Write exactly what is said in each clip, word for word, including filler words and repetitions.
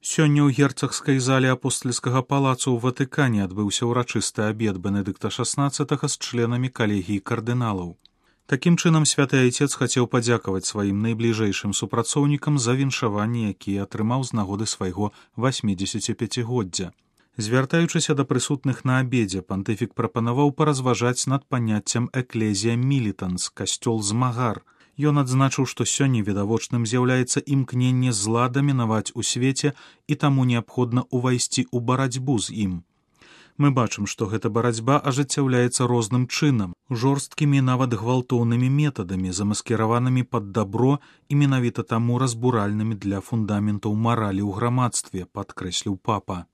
Сёння ў герцагскай зале апостальскага палацу ў Ватыкане адбыўся ўрачысты абед Бенедыкта шаснаццатага з членамі калегіі кардыналаў. Такім чынам святы айцец хацеў падзякаваць сваім найбліжэйшым супрацоўнікам за віншаванні, якія атрымаў з нагоды свайго васьмідзесяціпяцігоддзя. Звяртаючыся да прысутных на абедзе, пантыфік прапанаваў паразважаць над паняццем эклезія мілітанс, касцёл змагар. Ён адзначыў, што сёння відавочным з'яўляецца імкненне зла дамінаваць у свеце і таму неабходна ўвайсці ў барацьбу з ім. Мы бачым, што гэта барацьба ажыццяўляецца розным чынам, жорсткімі нават гвалтоўнымі метадамі, замаскіраванымі пад дабро і менавіта таму разбуральнымі для фундаментаў маралі ў грамадстве, падкрэсліў папа.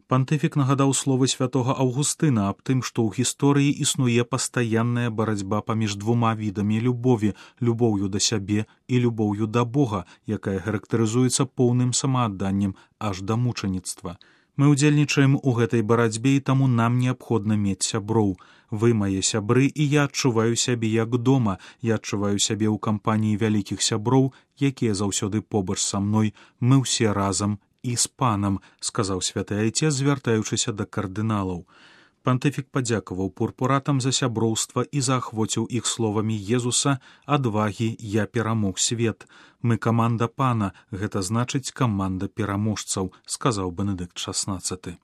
Пантыфік нагадаў словы святога Аўгустына аб тым, што ў гісторыі існуе пастаянная барацьба паміж двума відамі любові, любоўю да сябе і любоўю да Бога, якая характарызуецца поўным самаадданнем аж да мучаніцтва. Мы ўдзельнічаем у гэтай барацьбе і таму нам неабходна мець сяброў. Вы мае сябры, і я адчуваю сябе як дома, я адчуваю сябе ў кампаніі вялікіх сяброў, якія заўсёды побач са мной, мы ўсе разам і з панам, сказаў святы айцец, звяртаючыся да кардыналаў. Пантыфік падзякаваў пурпуратам за сяброўства і заахвоціў іх словамі Езуса «Адвагі, я перамог свет». Мы каманда пана, гэта значыць каманда пераможцаў, сказаў Бенедыкт шаснаццаты.